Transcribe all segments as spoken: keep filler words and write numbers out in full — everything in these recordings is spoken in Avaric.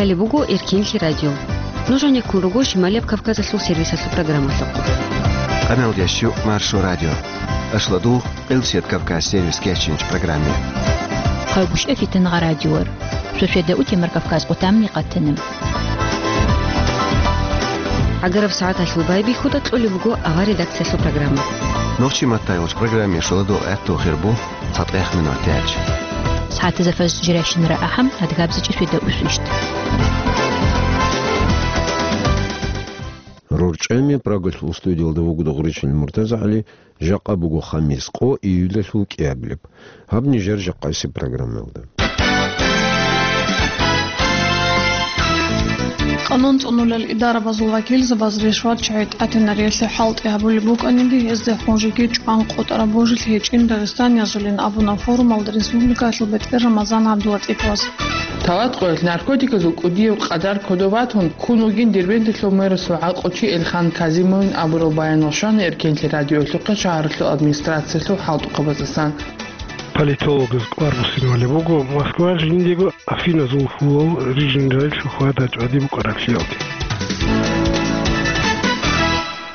Гьале буго Эркенлъи радио. Нуж гьанеккун руго Шималияб Кавказалъул сервисалъул программалъухъ. Къамел ящу Маршо радио. Ашладу Къилсият Кавказ сервис кечинч программе. Хъайгъуш эфитан гъа радиор. Шошеда утемар Кавказ къутамни къатанам. Агараб сагӀаталъул байбихьуда кьолеб буго авар редакциялъул программа. Нохчи маттайулч программе шоладу гӀатту хирбу. Цадехъ минут тяч. СагӀатазда фаз жиращинара ахӀам, адгабзичӀи шведа усвищт. РорчӀами Прагалъул студиялда вугода гъуричӀел МуртазагӀали, жакъа буго хамис къо июлалъул кӀиабилеб. Гьаб нижер жакъасеб программаялда. Къанун цӀунулел идарабазул вакилзабаз ришват чагӀи тӀатинариялъе хӀалтӀи гьабулеб букӀаниги, гьезде хъунжиги чӀван къотӀараб божил гьечӀин Дагъистаниязулин абуна форумалда республикалъул бетӀер Рамазан ГӀабдулатӀиповас. Талат къоялъ наркотиказул кӀудияв къадар кодов батун, ккун вугин Дербенталъул мэрасул гӀакълучи Элхан Казимовин абурал баянал щвана Эркенлъи радиоялъухъе шагьаралъул администрациялъул хӀалтӀухъабаздасан. Политологаз кӀвар буссинавали буго, Москва жиндего Афиназул хьулал рижинрай лъухьа дачӀвади букӀараблъиялде.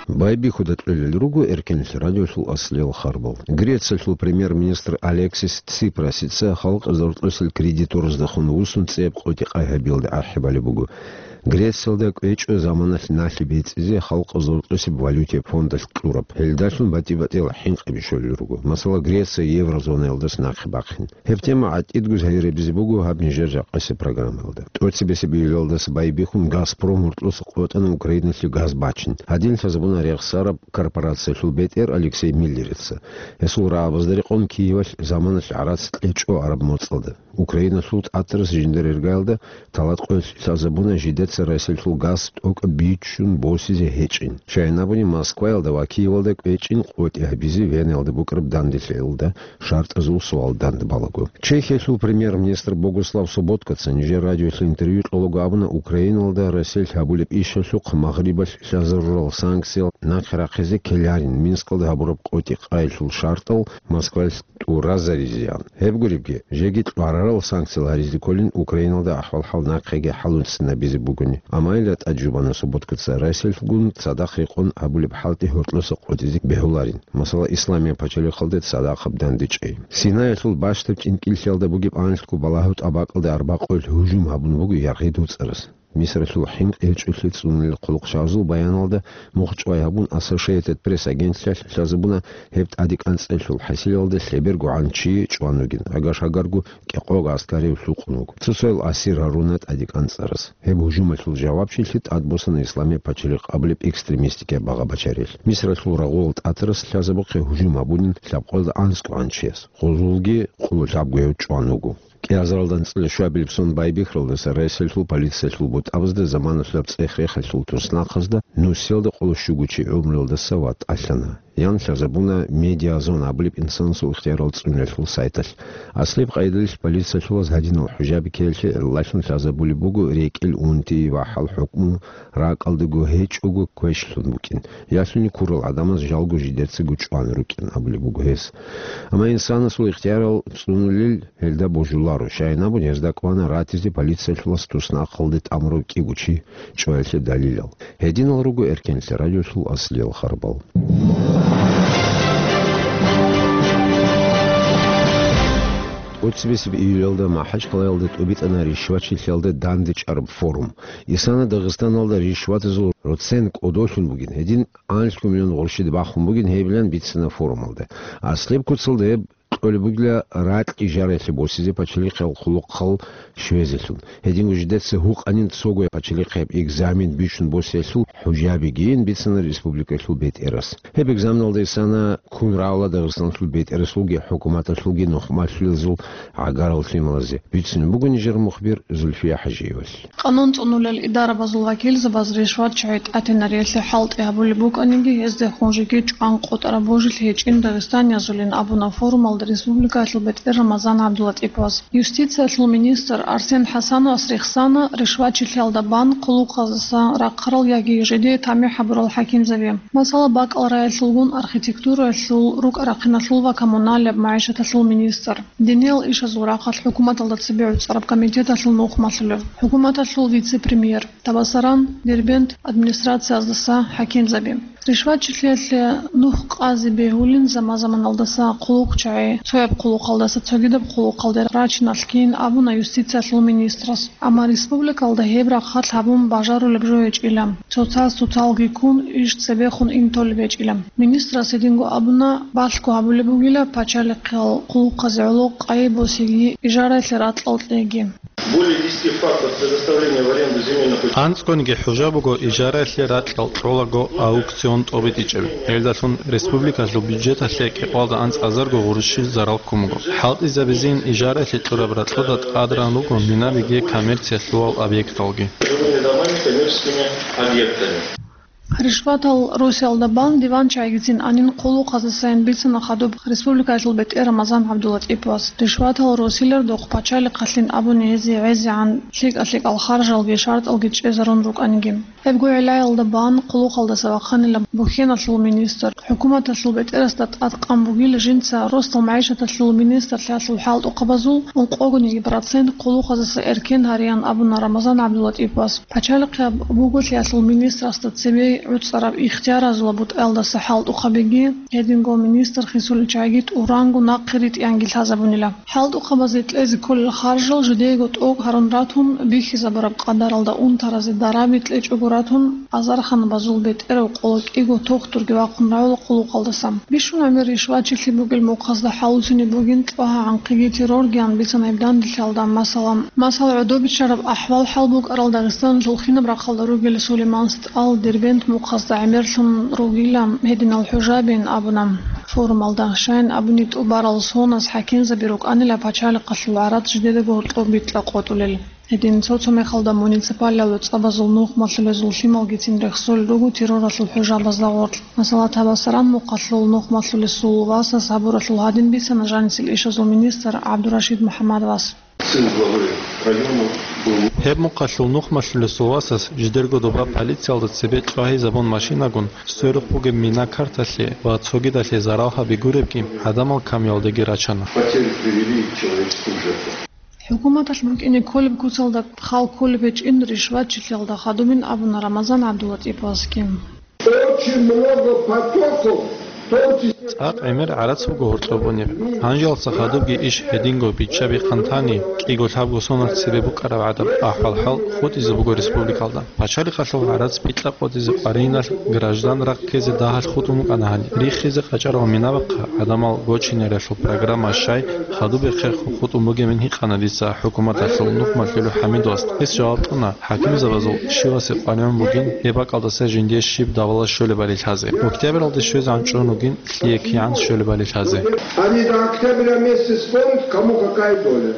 Байбихьуда кьолел руго Эркенлъи радиолъул аслиял харбал. Грециялъул премьер-министр Алексис Ципрасица халкъ зортӀусел кредитораздехун вуссун цӀеб къотӀи-къай гьабиялде ахӀи балеб буго. Грециялда кӀвечӀо заманалъ налъи бецӀизе халкъ зортӀусеб валютияб фондалъ кьураб. Гьелдалъун батӀи-батӀиял хӀинкъи бищулел руго. Масала, Греция еврозонаялдаса нахъе бахъин. Гьеб тема гӀатӀидго гьайрабизе буго гьаб нижер жакъасеб программаялда. ТӀоцебесеб июлалдаса байбихьун Газпром гьоркьоса къотӀана Украиналъе газ бачин. Гьадин лъазабуна рехсараб корпорациялъул бетӀер Алексей Миллерица. Гьесул рагӀабазда рекъон Киевалъ заманалъ гӀарац кьечӀо араб моцӀалда. Украиналъул тӀатарас жиндир иргаялда талат къоялъ лъазабуна жидеца Россиялъул газ тӀокӀаб бичун босизе гьечӀин. Щайин абуни, Москваялда ва Киевалда кӀвечӀин къотӀи гьабизе Венаялда букӀараб данделъиялда шартӀазул суал данде балаго. Чехиялъул премьер-министр Богуслав Соботкаца нижер радиоялъе интервью кьолаго абуна, Украиналда Россиялъ гьабулеб ишалъухъ Магърибалъ лъазарурал санкциял нахъе рахъизе ккеларин, Минскалда гьабураб къотӀи-къайилъул шартӀал Москваялъ тӀуразаризеян. Гьеб гуребги, жеги кьварарал санкциял гьаризе кколин Украиналда ахӀвал-хӀал нахъеги хӀалуцинабизе бугони. Амма гьелда тӀаде жубана Соботкаца Россиялъгун цадахъ рекъон гьабулеб хӀалтӀи гьоркьоса къотӀизе бегьуларин. Масала, Исламияб пачалихъалде цадахъаб дандечӀей. Синаялъул бащдаб тӀинкӀиллъиялда бугеб анлъго балагьу тӀабакӀалде арбакъоялъ гьужум гьабун буго яргъи доцӀарас. Мисралъул хӀинкъи гьечӀолъи цӀунулел хъулухъчагӀазул баяналда мухъчӀвай гьабун, Associated Press агентлъиялъ лъазабуна гьеб тӀадекӀанцӀелъул хӀасилалда лъеберго гӀанчи чӀван вугин, гӀагар-гьагарго кӀикъого гӀаскарияв лъукъун вуго. Цо-цоял асир гьаруна тӀадекӀанцӀарас. Гьеб гьужумалъул жавабчилъи тӀадбосана Исламияб пачалихъ абулеб экстремистикаб багъа бачарел. Мисралъул рагъулал тӀатарас лъазабухъе гьужум гьабунин лъабкъоялда анцӀго гӀанчияс. Гъозулги къулу лъабгояв чӀван вуго. КӀиазаралда анцӀила щуабилеб сон байбихьаралдаса Россиялъул полициялъул бутӀабазда заманалъаб цӀех-рехалъул туснахъазда нусиялда къоло щуго чи гӀумруялдаса ватӀалъана. Ян лъазабуна Медиазон абулеб инсанасул ихтиярал цӀунулелъул сайталъ. Аслияб къайдалъ полициялъулаз гьадинал хӀужаби ккеялъе гӀиллалъун лъазабулеб буго рекӀел унти ва хӀал-хӀукму ракӀалдаго гьечӀого квешлъун букӀин. Ялъуни ккурал гӀадамаз жалго жидерцаго чӀван рукӀин абулеб буго гьес. Амма инсанасул ихтиярал цӀунулел гьелда божуларо, щайин абуни гьезда кӀвана ратизе полициялъулас туснахъалде тӀамурав кӀиго чи чӀваялъе далилал. Гьединал руго Эркенлъи радиолъул аслиял харбал. ТӀоцебесеб июлалда МахӀачкъалаялда тӀубитӀана ришвачилъиялда дандечӀараб форум. Исана Дагъистаналда ришватазул процент кӀодолъун бугин, гьедин анлъго миллион гъурщида бахун бугин гьебилан бицана форумалда. Аслияб куцалда гьеб кьолеб бугила ракь ижараялъе босизе пачалихъиял хъулухъал щвезелъул. Гьединго жидеца гьукъанин цого пачалихъияб экзамен бичун босиялъул хӀужабигин бицана республикалъул бетӀерас. Гьеб экзаменалда исана ккун рагӀула Дагъистаналъул бетӀерасулги хӀукуматалъулги нухмалъулазул гӀагарал лъималазе. Бицунеб буго нижер мухбир Зульфия ХӀажиевалъ. Къанун цӀунулел идарабазул вакилзабаз ришват чагӀи тӀатинариялъе хӀалтӀи гьабулеб букӀаниги, гьезде хъунжиги чӀван къотӀараб божил гьечӀин Дагъистаниязулин абуна форумалда республикаялъул бетӀер Рамазан ГӀабдулатӀиповас. Юстициялъул министр Арсен ХӀасановас рехсана ришватчилъиялда бан хъулухъаздаса рахъарал яги жидее тамихӀ гьабурал хӀакимзаби. Масала, бакӀал раялъулгун архитектураялъул, рукӀа-рахъиналъул ва коммуналияб магӀишаталъул министр. Диниял ишазул рахъалъ хӀукуматалда цебе гӀуцӀараб комитеталъул нухмалъулев, хӀукуматалъул вице-премьер, Табасаран, Дербент администрацияздаса хӀакимзаби. Ришватчилъиялъе нух къазе бегьулин заман-заманалдаса хъулухъчагӀи, цояб хъулухъалдаса цогидаб хъулухъалде рачиналъ кин абуна юстициялъул министрас. Амма республикалда гьеб рахъалъ гьабун бажарулеб жо гьечӀила, цоцаз цоцалги ккун иш цебехун интолеб гьечӀила. Министрас гьединго абуна, балъго гьабулеб бугила пачалихъал хъулухъазе гӀоло къайи босиги, ижараялъе ракьал кьеги. Более десяти фактов предоставления в аренду земельных участков. АнцӀгониги хӀужа буго ижараялъе ракьал кьолаго аукцион тӀобитӀичӀеб. Гьелдалъун республикалъул бюджеталъе кӀикъоялда анцӀазарго гъурущил зарал ккун буго. ХӀалтӀизабизейин ижараялъе кьураб ракьалда тӀадран руго минабиги коммерциялъувал объекталги. Жилыми домами, коммерческими объектами. Ришватал росиялда бан диван чагӀигицин анин хъулухъаздасайин бицана хадуб республикаялъул бетӀер Рамазан ГӀабдулатӀиповас. Ришватал росилардухъ пачалихъалъин абуни гьезие гӀезегӀан лъикӀа-лъикӀал харжалги шартӀалги чӀезарун рукӀаниги. Гьебго гӀиллаялда бан хъулухъалдаса вахъанила бухьеналъул министр. ХӀукуматалъул бетӀерасда тӀадкъан бугила жинца росдал магӀишаталъул министрлъиялъул хӀалтӀухъабазул ункъогониги процент хъулухъаздаса эркен гьареян абуна Рамазан ГӀабдулатӀиповас. Пачалихъияб буголъиялъул министрасда цебе гӀуцӀараб ихтияразул бутӀаялдаса хӀалтӀухъабиги, гьединго министр хисулел чагӀиги тӀуранго нахъе ритӀиянги лъазабунила. ХӀалтӀухъабазе кьезе кколел харжал жидеего тӀокӀ гьарун ратун, бихьизабураб къадаралда унтаразе дараби кьечӀого ратун, азарханабазул бетӀерав къоло кӀиго тохтурги вахъун равула хъулухъалдаса. Бищун гӀемер ришватчилъи бугел мухъазда хӀалусине бугин тӀогьагӀанхъиги терроргиян бицана гьеб данделъиялда, масала, масала, гӀодобичараб ахӀвал-хӀал букӀарал Дагъистаналъул хинаб рахъалда ругел Сулейман СтӀал Дербент мухъазда гӀемерлъун ругила гьединал хӀужабин абуна форумалда. Щайин абуни, тӀубарал соназ хӀакимзаби рукӀанила пачалихъалъул гӀарац жидедаго гьоркьоб битӀа къотӀулел. Гьедин цо-цо мехалда муниципалияб цӀабазул нухмалъулезул лъималгицин рехсолел руго терроралъул хӀужабазда гъоркь. Масала, Табасаран мухъалъул нухмалъулесул васас гьабуралъул гьадин бицана жанисел ишазул министр ГӀабдурашид МухӀаммадовас. Сын главы района был. Гьеб мухъалъул нухмалъулесул васас жидерго доба полициялда цебе чӀвагьизабун машинагун, сверухъ бугеб мина карталъе ва цогидалъе зарал гьаби гуребги гӀадамал камиялдеги рачана. Потери привели человеческую жертву. ХӀукуматалъ букӀине кколеб куцалда хал кколеб гьечӀин ришватчилъиялда хадубин абуна Рамазан ГӀабдулатӀиповасги. Очень много потоков, в том числе. ЦӀакъ гӀемер гӀарац буго гьоркьоб унеб. Гьанжеялдаса хадубги иш гьединго биччаби хъантани, кӀиго-лъабго соназ цебе букӀараб гӀадаб ахӀвал-хӀал хутӀизе буго республикалда. Пачалихъалъул гӀарац битӀа къотӀизе къвариналъ граждан рахъ ккезе дагьалъ хутӀун букӀана гьаниб. Рихизе къачӀарал минабахъа гӀадамал гочинаралъул программа щай хадубехъе хутӀун бугебин гьикъана дица хӀукуматалъул нухмалъулев ХӀамидовас. Гьес жаваб кьуна, хӀакимзабазул щивасе къваригӀун бугин, гьеб бакӀалдаса жиндие щиб давала щолебали лъазе. Октябралде щвезегӀан чӀун вугин, лъие кигӀан щолебали лъазе. Они до октября месяца спорят, кому какая доля.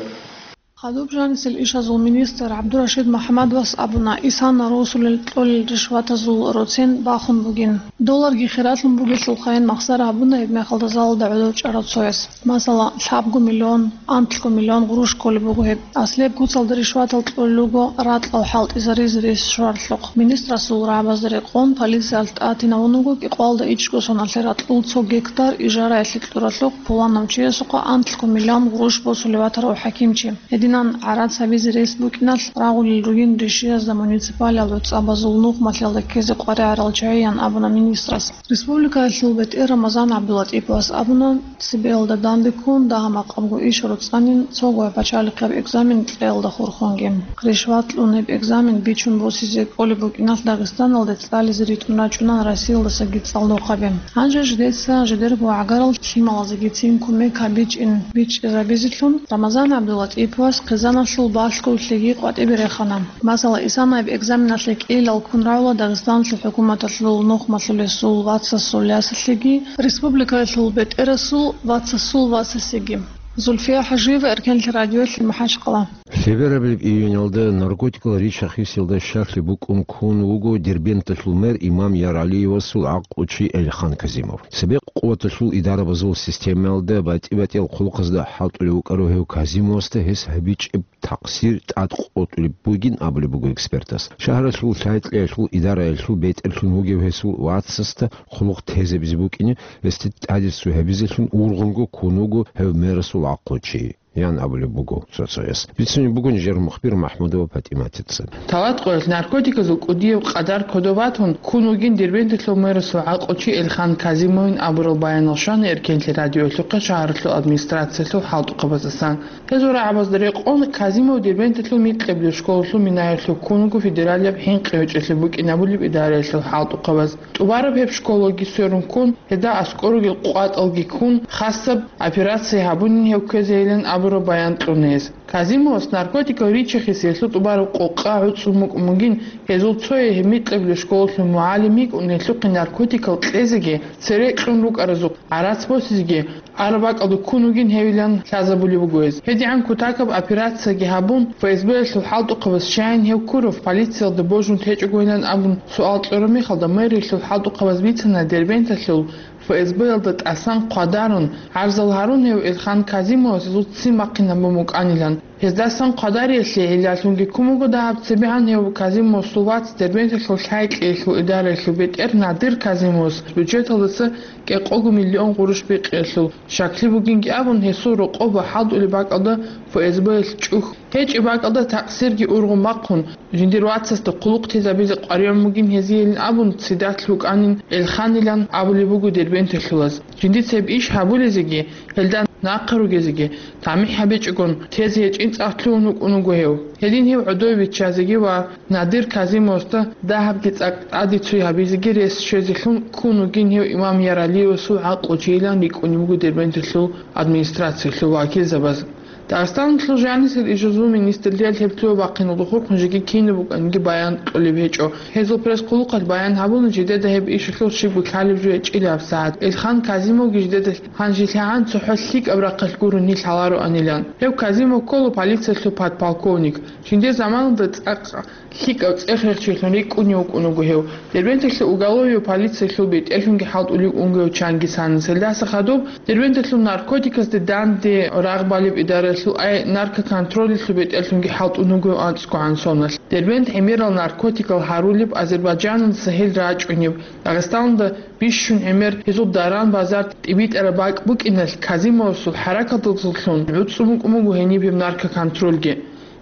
Хадуб жанисел ишазул министр ГӀабдурашид МухӀаммадовас абуна, исана росулел кьолел ришватазул роцен бахун бугин. Долларги хиралъун бугелъулхъайин махсар гьабуна гьеб мехалда залалда гӀодов чӀарав цояс. Масала, лъабго миллион, анлъго миллион гъурущ кколеб буго гьеб. Аслияб куцалда ришватал кьолел руго ракьал хӀалтӀизаризе рес щваралъухъ. Министрасул рагӀабазда рекъон полициялъ тӀатинавун вуго кӀикъоялда ичӀго соналъе ракьул цо гектар ижараялъе кьуралъухъ пуланав чиясухъа анлъго миллион гъурущ босулев ватарав хӀакимчи. Гьединан гӀарац гьабизе рес букӀиналъ рагъулел ругин ришиязда муниципалияб цӀабазул нухмалъиялда ккезе къваригӀарал чагӀиян абуна министрас. Республикаялъул бетӀер Рамазан ГӀабдулатӀиповас абуна, цебеялда данде ккун дагьа-макъабго иш роцӀанин цо гвай пачалихъияб экзамен кьеялда хурхунги. Ришват кьун гьеб экзамен бичун босизе кӀолеб букӀиналъ Дагъистаналде цӀализе ритӀун рачӀунан Россиялдасаги цӀалдохъаби. Гьанже жидеца жидерго гӀагарал лъималазегицин кумек гьабичӀин бичӀчӀизабизелъун Рамазан ГӀабдулатӀиповас хъизаналъул балъголъиги къватӀибе рехана. Масала, исана гьеб экзаменалъе кӀиялал ккун равула Дагъистаналъул хӀукуматалъул нухмалъулесул вацасул ясалъеги, республикаялъул бетӀерасул вацасул васасеги. Зульфия ХӀажиева, Эркенлъи радиолъи, МахӀачхъала. Лъеберабилеб июньалда наркотикал рича-хисиялда щаклъи букӀун ккун вуго Дербенталъул мэр Имам Яралиевасул гӀакълучи Эльхан Казимов. Цебекъ къуваталъул идарабазул системаялда батӀи-батӀиял хъулухъазда хӀалтӀулев вукӀарав гьев Казимовасда гьес гьабичӀеб такъсир тӀадкъотӀулеб бугин абулеб буго экспертас. Шагьаралъул лъай-кьеялъул идараялъул бетӀерлъун вугев гьесул вацасда хъулухъ тезабизе букӀине, гьесде тӀадесцо гьабизелъун ургъунго ккун вуго гьев мэрасул гӀакълучи, ян абулеб буго цо-цояс. Бицунеб буго нижер мухбир МахӀмудова ПатӀиматица. Талат къоялъ наркотиказул кӀудияб къадар кодоб батун ккун вугин Дербенталъул мэрасул гӀакълучи Эльхан Казимовин абурал баянал щвана Эркенлъи радиоялъухъе шагьаралъул администрациялъул хӀалтӀухъабаздасан. Гьезул рагӀабазда рекъон, Казимов Дербенталъул микьабилеб школалъул минаялъув ккун вуго федералияб хӀинкъи гьечӀолъи букӀинабулеб идараялъул хӀалтӀухъабаз. ТӀубараб гьеб школаги сверун ккун, гьезда аскӀор ругел къватӀалги ккун, хасаб операция гьабунин гьев ккезейилан абураб баян кьуна гьес. Казимовас наркотикал рича-хисиялъул тӀубараб къокъа гӀуцӀун букӀун бугин, гьезул цое гьеб микьабилеб школалъул мугӀалим йикӀун, гьелъухъе наркотикал кьезеги, цере кьун рукӀаразухъ гӀарац босизеги, араб бакӀалда ккун вугин гьевилан лъазабулеб буго гьез. ГьедигӀан кутакаб операцияги гьабун, ФСБ-ялъул хӀалтӀухъабаз щайин гьев Куров полициялда божун течӀогойилан абун суал кьураб мехалда, мэриялъул хӀалтӀухъабаз бицана Дербенталъул ФСБ-ялда тӀасан хъвадарун, гӀарзал гьарун гьев Эльхан Казимовас гьезул ццин бахъинабун букӀанилан. Гьездасан хъвадариялъе гӀиллалъунги ккун буго дагьаб цебегӀан гьев Казимовасул вац Дербенталъул лъай-кьеялъул идараялъул бетӀер Надир Казимовас бюджеталдаса кӀикъого миллион гъурущ бикъиялъул щаклъи бугинги абун, гьесул рокъоб ва хӀалтӀулеб бакӀалда ФСБ-ялъ чӀухь гьечӀеб бакӀалда такъсирги ургъун бахъун, жиндир вацасда хъулухъ тезабизе къваригӀун бугин гьезиейилин абун, цидат лъукӀанин Эльханилан абулеб буго дербенталъулаз. Жиндица гьеб иш гьабулезеги, гьелда нахъа ругезеги, тамихӀ гьабичӀогон, тезе гьечӀин цӀакъ лъугьун вукӀун вуго гьев. Гьедин гьев гӀодове виччазеги ва Надир Казимовасда дагьабги цӀакъ тӀаде цой гьабизеги рес щвезелъун ккун вугин гьев Имам Яралиевасул гӀакълучийилан рикӀкӀунеб буго Дербенталъул администрациялъул вакилзабаз. Дагъистаналъул жанисел ишазул министрлъиялъ гьеб лъугьа-бахъиналда хурхун жеги кинаб букӀаниги баян кьолеб гьечӀо. Гьезул пресс-хъулухъалъ баян гьабуна, жидеда гьеб ишалъул щибго лъалеб жо гьечӀила гьабсагӀат. Эльхан Казимовги жидеда гьанжелъагӀан цохӀо лъикӀаб рахъалъ гурони лъаларо анилан. Гьев Казимов ккола полициялъул подполковник. Жиндир заманалда цӀакъ лъикӀав цӀех-рехчилъун рикӀкӀунев вукӀун вуго гьев. Дербенталъе уголовияб полициялъул бетӀерлъунги хӀалтӀулев вукӀун вуго гьев Чангисханас. Гьелдаса хадуб Дербенталъул наркотиказде данде рагъ балеб идараялъул ай наркоконтролалъул бетӀерлъунги хӀалтӀун вуго гьев анцӀгогӀан соналъ. Дербент гӀемерал наркотикал гьарулеб Азербайджаналдаса гьел рачӀунеб, Дагъистаналда бищун гӀемер гьезул даран-базар тӀибитӀараб бакӀ букӀиналъ Казимовасул хӀаракаталдалъун гӀуцӀун букӀун буго гьениб гьеб наркоконтролги.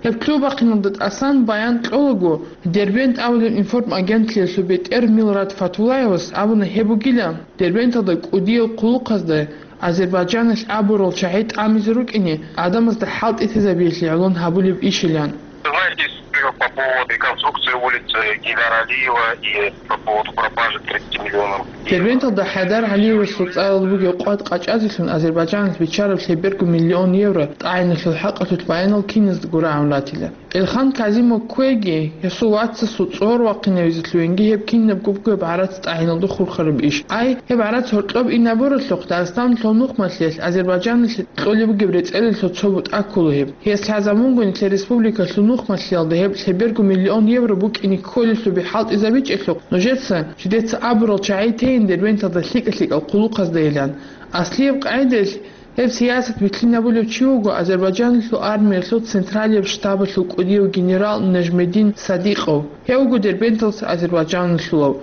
Гьеб лъугьа-бахъиналда тӀасан баян кьолаго, Дербент абулеб информагентлъиялъул бетӀер Милрат Фатуллаевас абуна гьеб бугила, Дербенталда кӀудиял хъулухъазда Азербайджаналъ абурал чагӀи тӀамизе рукӀине, гӀадамазда хӀалтӀи тезабиялъе гӀолон гьабулеб ишилан. Знаете историю по поводу реконструкции улицы Гейдара Алиева и по поводу пропажи тридцати миллионов евро? Дербенталда ХӀайдар ГӀалиевасул цӀарал бугеб къват къачӀазелъун Азербайджаналъ биччараб лъеберго миллион евро тӀагӀиналъул хӀакъалъулъ баянал киназдаго рагӀун ратила. Эльхан Казимов кквеги, гьесул вацасул цӀогьор вахъинавизе лъугьинги гьеб кинабго бугеб гӀарац тӀагӀиналда хурхараб иш. Ай, гьеб гӀарац гьоркьоб инабуралъухъ Дагъистаналъул нухмалъиялъ Азербайджаналъе кьолеб бугеб рецӀелалъул цо бутӀа ккола гьеб. Гьес лъазабунгони, нилъер республикалъул нухмалъиялда гьеб лъеберго миллион евро букӀине кколелъул би хӀалтӀизабичӀелъухъ, нужеца, жидеца абурал чагӀи тейин Дербенталда лъикӀа-лъикӀал хъулухъаздайилан. Аслияб къагӀидаялъ, гьеб сиясат вилълъинабулев чи вуго Азербайджаналъул армиялъул централияб штабалъул кӀудияв генерал Нажмедин Садикъов. Гьев вуго Дербенталдаса азербайджаналъулав.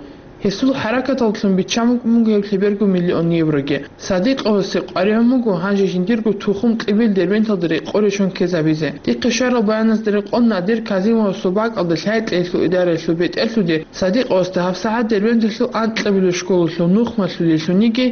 Гьесул хӀаракаталдалъун биччан букӀун буго гьеб лъеберго миллион евроги. Садикъовасе къваригӀун буго гьанже жиндирго тухум-кьибил Дербенталда рекъон рещтӀун ккезабизе. Дихъе щварал баяназда рекъон, Надир Казимовасул бакӀалда лъай-кьеялъул идараялъул бетӀерлъуде Садикъовасда гьабсагӀат Дербенталъул анкьабилеб школалъул нухмалъулелъуниги,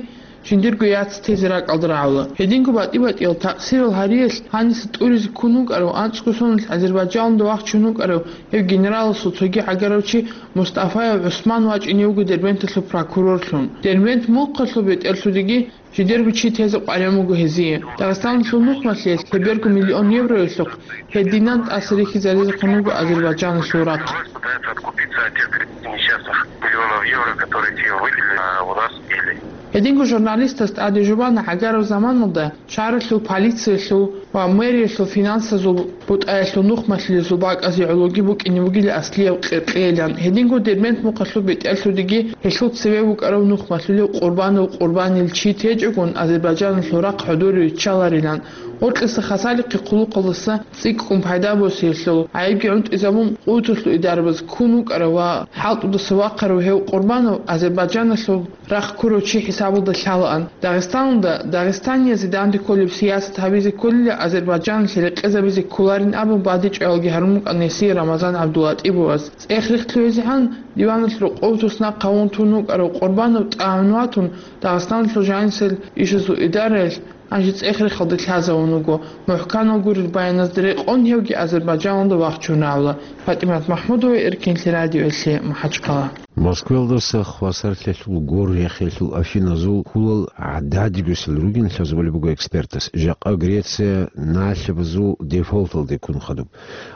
жиндирго яц тезе ракӀалда рагӀула. Гьединго батӀи-батӀиял такъсирал гьариялъ гьаниса тӀуризе ккун вукӀарав анцӀго соналъ Азербайджаналда вахчун вукӀарав гьев генераласул цоги гӀагарав чи Мустафаев ГӀусман вачӀине вуго Дербенталъул прокурорлъун. Дербент мухъалъул бетӀерлъудеги жидерго чи тезе къваригӀун буго гьезие. Дагъистаналъул нухмалъиялъ лъеберго миллион евроялъухъ гьединан тӀаса рихьизаризехъун вуго Азербайджаналъул рахъ. Пытается откупиться от тех тридцати несчастных миллионов евро, которые те выбили, а у нас пили. Гьединго журналистас тӀаде жубана гӀагараб заманалда шагьаралъул полициялъул ва мэриялъул финансазул бутӀаялъул нухмалъулезул бакӀазе гӀологи букӀине бугила аслияб къеркьейилан. Гьединго Дербент мухъалъул бетӀерлъудеги гьелъул цеве вукӀарав нухмалъулев Къурбанов Къурбанил чи течӀогун, Азербайджаналъул рахъ хӀодоре риччаларилан. Гъоркьиса хасалихъе хъулухъалдаса цӀикӀкӀун пайда босиялъул гӀайибги гӀунтӀизабун, къуваталъул идарабаз ккун вукӀарав ва хӀалтӀудаса вахъарав гьев Къурбанов Азербайджаналъул рахъ ккурав чи хӀисабалда лъалаан. Дагъистаналда дагъистаниязе данде кколеб сиясат гьабизе кколила, Азербайджаналъе рекъезабизе кколарин абун бадичӀоялги гьарун букӀана гьесие Рамазан ГӀабдулатӀибовас. ЦӀех-рехъ лъугӀизегӀан диваналъ рокъов туснахъ гьавун тун вукӀарав Къурбанов тӀагӀун ватун, Дагъистаналъул жанисел ишазул идараялъ гьанже цӀех-рехалде лъазавун вуго. МухӀканал гурел баяназда рекъон гьевги Азербайджаналда вахчун равла. ПатӀимат МахӀмудова, Эркинлъи радиоялъе, МахӀачхъала. Москваялдаса хвасарлъиялъул гор рехиялъул Афиназул хьулал гӀададигосел ругин лъазабулеб буго экспертас. Жакъа Греция налъабазул дефолталде ккун хадуб.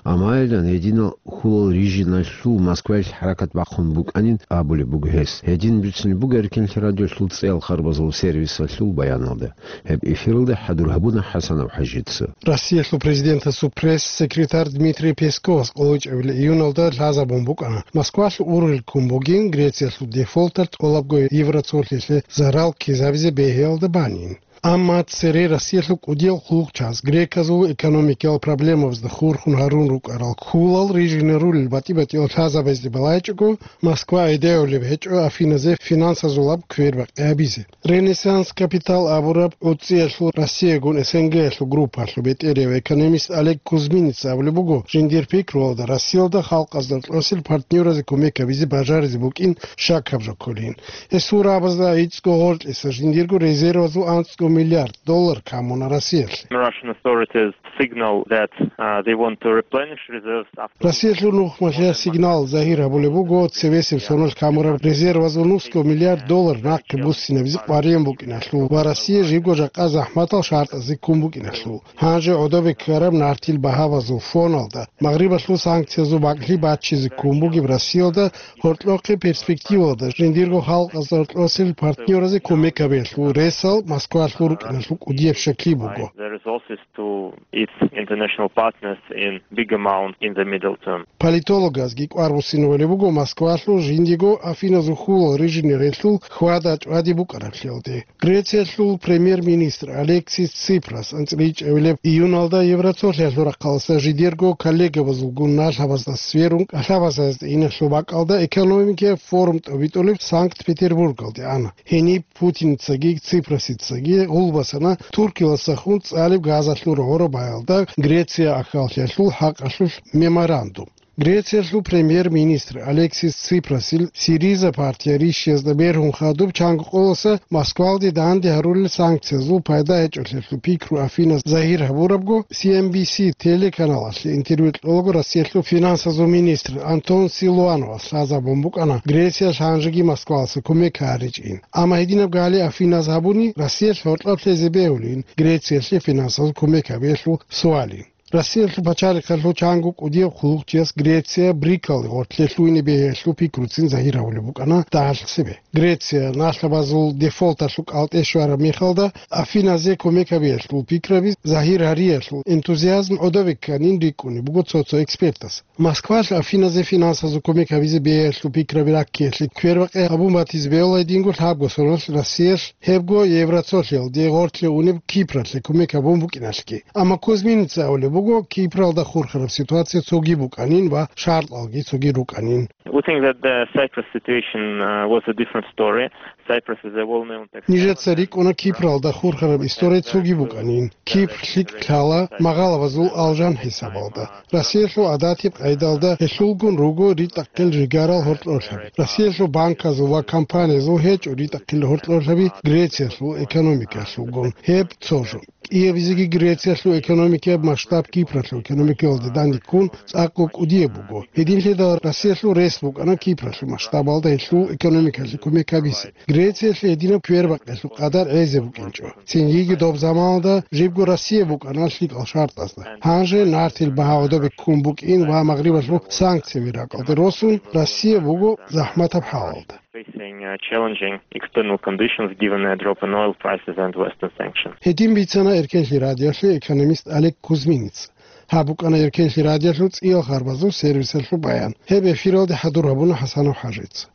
Амма гьединал хьулал рижиналъул Москваялъ хӀаракат бахъун букӀанин абулеб буго гьес. Гьедин бицунеб буго Эркинлъи радиоялъул цӀеял харбазул сервисалъул баяналда. Гьеб эфиралда хӀадур гьабуна ХӀасанов ХӀажица. Россиялъул президентасул пресс-секретарь Дмитрий Песковас къоло чӀебилеб июналда лъазабун букӀана, Москвалъ ургъел ккун бугин Грециялъул дефолталъ тӀолабго евроцолъиялъе зарал ккезабизе бегьиялда банин. Амма цере Россиялъул кӀудиял хъулухъчияс греказул экономикиял проблемабазда хурхун гьарун рукӀарал хьулал рижине рулел батӀи-батӀиял лъазабазде балайчӀого, Москва гӀедегӀулеб гьечӀо Афиназе финансазулаб квербакъи гьабизе. Ренессанс Капитал абураб гӀуцӀиялъул Россиягун СНГ-ялъул группалъул бетӀерияв экономист Олег Кузьминица абулеб буго, жиндир пикруялда Россиялда халкъазда кьосел партнёразе кумек гьабизе бажаризе букӀин щакаб жо кколин. Гьесул рагӀабазда гӀицӀго гъоркьиса жиндирго резервазул анцӀго миллиард доллар камуна Россиялъе. Russian authorities signal that, uh, they want to replenish reserves after Россиялъул нухмалъе сигнал загьир гьабулеб буго, цевесеб соналъ камураб резервазул нусго миллиард доллар нахъе буссинабизе къваригӀун букӀиналъул ва Россия жибго жакъа захӀматал шартӀазе ккун букӀиналъул. Гьанже гӀодобе ккараб нартил багьабазул фоналда, Магърибалъул санкциязул бакӀлъи баччизе ккун бугеб Россиялда гьоркьохъе перспективалда жиндирго халкъазда гьоркьосел партнёразе кумек гьабиялъул ресал Москвалъул рукӀиналъул кӀудияб щаклъи буго. The resources to its international partners in big amount in the middle term. Политологазги кӀвар буссинабулеб буго Москвалъул жиндиго Афиназул хьулал рижине релълъул хьвада чӀвади букӀараблъиялде. Грециялъул премьер-министр Алексис Ципрас анцӀила ичӀабилеб июналда Евроцолъиялъул рахъалъа жидерго коллегабазулгун налъабазда сверун кӀалъабазазда иналъул бакӀалда экономикияб форум тӀобитӀулеб Санкт-Петербургалде ана. Гьениб Путиницаги Ципрасицаги гъулбасана Туркиялдаса хун цӀалеб газалъул гӀорабаялда Греция ахьаллъиялъул хӀакъалъулъ меморандум. Грециялъул премьер-министр Алексис Ципрасил Сириза партия рищиязда бергьун хадуб чанго къоласа Москвалде данде гьарулел санкциязул пайда гьечӀолъиялъул пикру Афинас загьир гьабурабго, Си Эн Би Си телеканалалъе интервью кьолаго Россиялъул финансазул министр Антон Силуановас лъазабун букӀана Грециялъ гьанжеги Москвалъа кумек гьаричӀин. Амма гьединаб гали Афиназ гьабуни, Россиялъ гьоркьоб лъезе бегьулин Грециялъе финансазул кумек гьабиялъул суалин. Россиялъул пачалихъалъул чанго кӀудияб хъулухъчияс Греция БРИКалде гъоркье лъугьине бегьиялъул пикруцин загьир гьавулеб букӀана дагьалъ цебе. Греция налъабазул дефолталъул кӀалтӀе щвараб мехалда, Афиназе кумек гьабиялъул пикраби загьир гьариялъул энтузиазм гӀодобе кканин рикӀкӀунеб буго цо-цо экспертас. Москвалъ Афиназе финансазул кумек гьабизе бегьиялъул пикраби раккиялъе квербакъи гьабун батизе бегьулайдинго лъабго соналъ Россиялъ гьебго Евроцолъиялде гъоркье унеб Кипралъе кумек гьабун букӀиналъги. Амма Кузьминица абулеб буго, Кипралда хурхараб ситуация цоги букӀанин ва шартӀалги цоги рукӀанин. We think that the Cyprus situation, uh, was a different story. Cyprus is a well-known tax Нижеца рикӀкӀуна Кипралда хурхараб история цоги букӀанин. Кипр лъикӀ лъала магъалабазул алжан хӀисабалда. Россиялъул гӀадатиб къайдалда гьелъулгун руго ритӀахъил жигарал гьоркьорлъаби. Россиялъул банказул ва компаниязул гьечӀо ритӀахъил гьоркьорлъаби Грециялъул экономикалъулгун. Гьеб цо жо. КӀиабизеги Грециялъул экономикаяб масштаб Кипралъул экономикаялда данде ккун цӀакъго кӀудияб буго. Гьединлъидал Россиялъул рес букӀана Кипралъул масштабалда гьелъул экономикалъе кумек гьабизе. Грециялъе гьединаб квербакъиялъул къадар гӀезе букӀинчӀо. Цинги доб заманалда жибго Россия букӀана лъикӀал шартӀазда. Гьанже нартил багьа гӀодобе ккун букӀин ва Магърибалъул санкцияби ракӀалде росун, Россия буго захӀматаб хӀалалда. facing uh, challenging external conditions given a drop in oil prices and Western sanctions. Гьедин бицана Эркенлъи радиолъе экономист Олег Кузьминец. Гьаб букӀана Эркенлъи радиолъул цӀиял харбазул сервисалъул баян. Гьеб эфиралде хӀадур гьабуна ХӀасанов ХӀажица.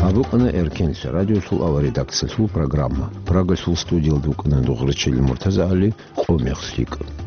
Гьаб букӀана Эркенлъи радиолъул аваредакциялъул программа. Прагалъул студиялда вукӀана Дугърачил МуртазагӀали, къо мех лъикӀ.